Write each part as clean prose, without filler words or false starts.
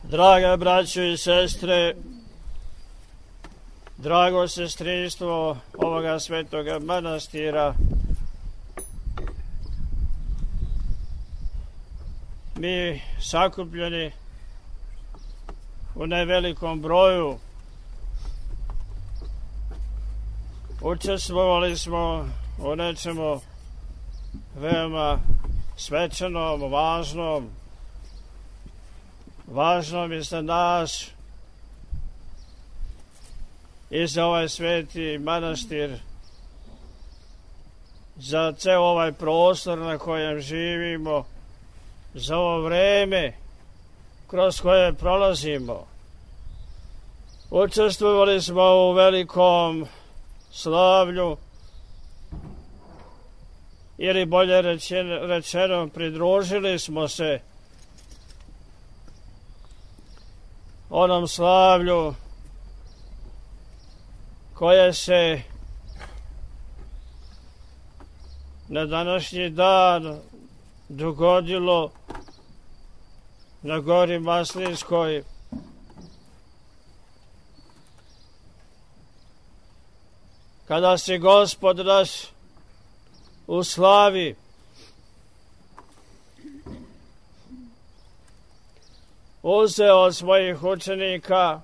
Draga braćo i sestre, drago sestrinstvo ovoga svetoga manastira, mi sakupljeni u nevelikom broju učestvovali smo u nečemu veoma svečanom, važnom i za nas i za ovaj sveti manastir, za ceo ovaj prostor na kojem živimo, za ovo vreme kroz koje prolazimo. Učestvovali smo u velikom slavlju, ili bolje rečeno, pridružili smo se onom slavlju koje se na današnji dan dogodilo na gori Maslinskoj, kada se Gospod naš u slavi uzeo od svojih učenika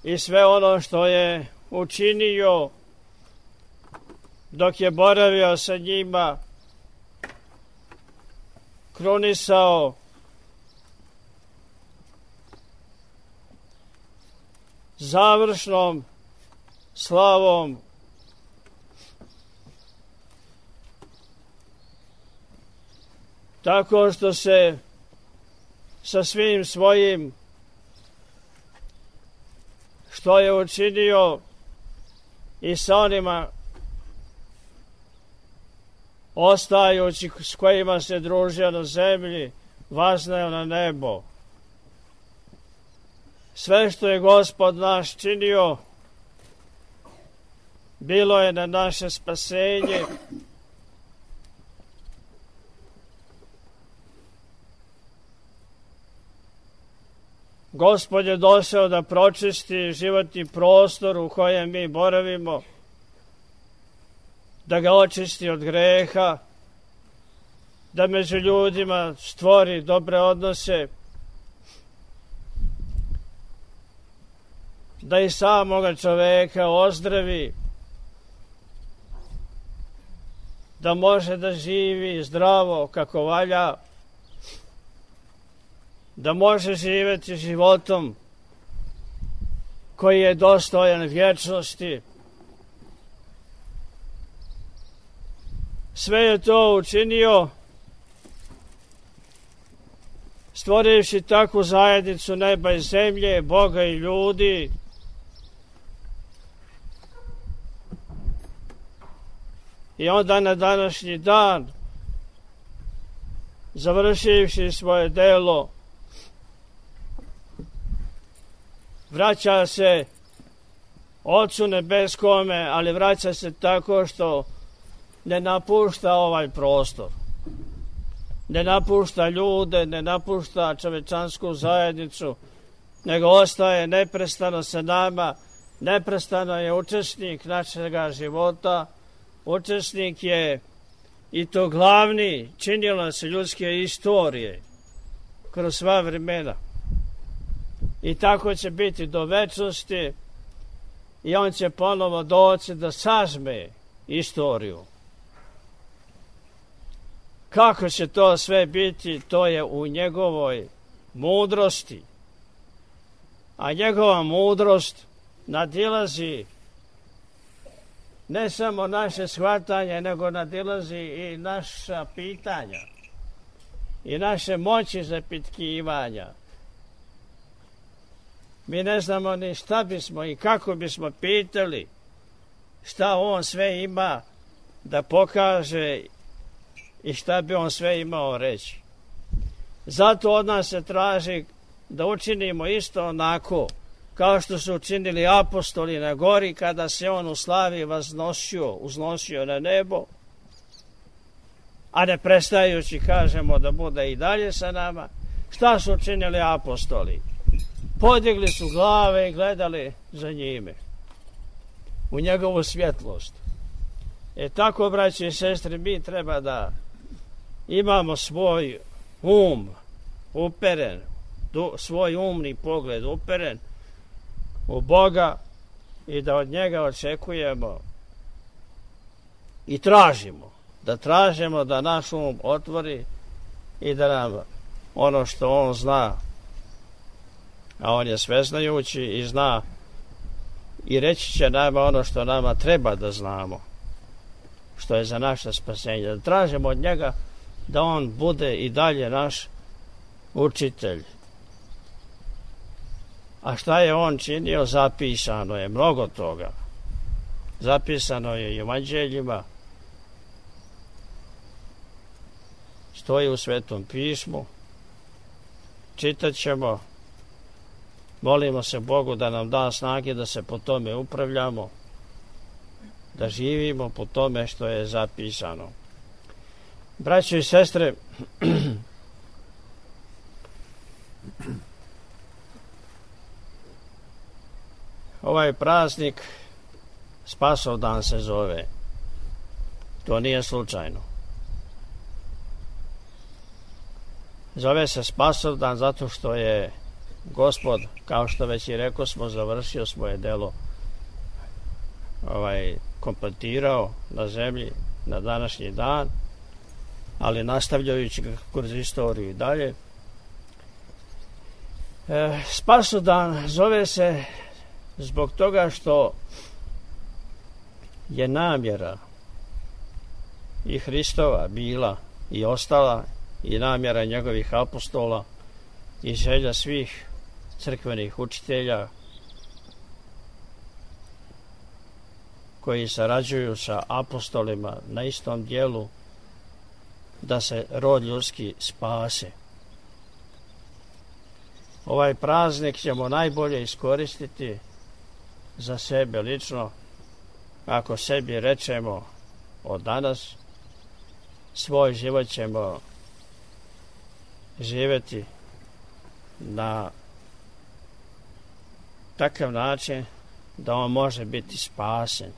i sve ono što je učinio dok je boravio sa njima, krunisao završnom slavom tako što se sa svim svojim što je učinio i sa onima ostajući s kojima se družio na zemlji, vazneo na nebo. Sve što je Gospod naš činio bilo je na naše spasenje, Gospod je došao da pročisti životni prostor u kojem mi boravimo, da ga očisti od greha, da među ljudima stvori dobre odnose, da i samoga čoveka ozdravi, da može da živi zdravo kako valja, da može živjeti životom koji je dostojan vječnosti. Sve je to učinio stvorivši takvu zajednicu neba i zemlje, Boga i ljudi, i onda na današnji dan, završivši svoje delo, vraća se Ocu nebeskome, ali vraća se tako što ne napušta ovaj prostor, ne napušta ljude, ne napušta čovečansku zajednicu, nego ostaje neprestano sa nama, neprestano je učesnik našega života, učesnik je i to glavni činilac ljudske istorije kroz sva vremena. I tako će biti do večnosti i on će ponovo doći da sažme istoriju. Kako će to sve biti, to je u njegovoj mudrosti. A njegova mudrost nadilazi ne samo naše shvatanje, nego nadilazi i naša pitanja i naše moći zapitkivanja. Mi ne znamo ni šta bismo i kako bismo pitali, šta on sve ima da pokaže i šta bi on sve imao reći. Zato od nas se traži da učinimo isto onako kao što su učinili apostoli na gori kada se on u slavi uznosio na nebo, a ne prestajući kažemo da bude i dalje sa nama. Šta su činili apostoli? Podigli su glave i gledali za njime, u njegovu svjetlost. Tako, braći i sestre, mi treba da imamo svoj uperen, svoj umni pogled uperen u Boga i da od njega očekujemo i tražimo da naš um otvori i da nam ono što on zna, a on je sveznajući i zna i reći će nama ono što nama treba da znamo, što je za naše spasenje. Da tražimo od njega da on bude i dalje naš učitelj. A šta je on činio? Zapisano je mnogo toga. Zapisano je i u evanđeljima, stoji u Svetom pismu, čitat ćemo, molimo se Bogu da nam da snage da se po tome upravljamo, da živimo po tome što je zapisano. Braćo i sestre, ovaj praznik Spasovdan se zove. To nije slučajno. Zove se Spasovdan zato što je Gospod, kao što već i rekao smo, završio svoje delo, kompletirao na zemlji na današnji dan, ali nastavljajući ga kroz istoriju i dalje. Spasovdan zove se zbog toga što je namjera i Hristova bila i ostala i namjera njegovih apostola i želja svih crkvenih učitelja koji sarađuju sa apostolima na istom dijelu, da se rod ljudski spase. Ovaj praznik ćemo najbolje iskoristiti za sebe lično, ako sebi rečemo od danas svoj život ćemo živjeti na takav način da on može biti spasen.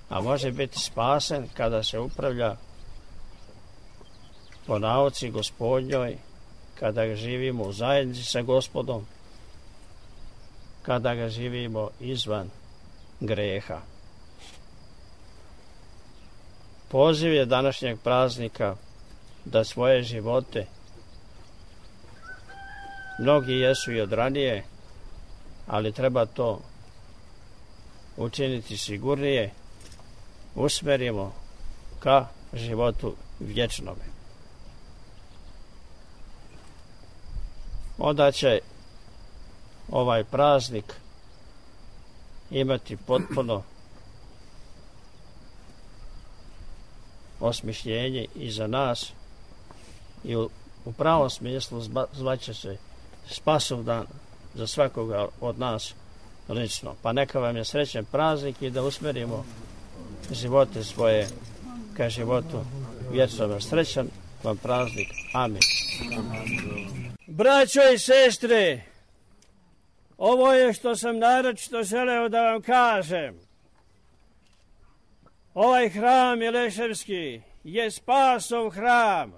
A može biti spasen kada se upravlja po nauci Gospodnjoj, kada ga živimo u zajednici sa Gospodom, kada ga živimo izvan greha. Poziv je današnjeg praznika da svoje živote, mnogi jesu i od ranije, ali treba to učiniti sigurnije, usmerimo ka životu vječnome. Onda će ovaj praznik imati potpuno osmišljenje i za nas i u pravom smislu zvaće se Spasovdan za svakoga od nas lično. Pa neka vam je srećan praznik i da usmerimo živote svoje ka životu vječnome. Srećan vam praznik. Amin. Braćo i sestre, ovo je što sam naročito želeo da vam kažem. Ovaj hram Mileševski je Spasov hram.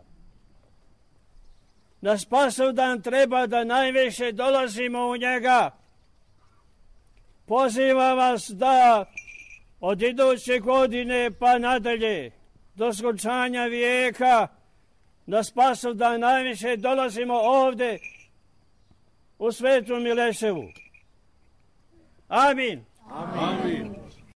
Na Spasovdan treba da najviše dolazimo u njega. Pozivam vas da od iduće godine pa nadalje, do skončanja vijeka, na Spasovdan najviše dolazimo ovde u Svetu Mileševu. Amin. Amin.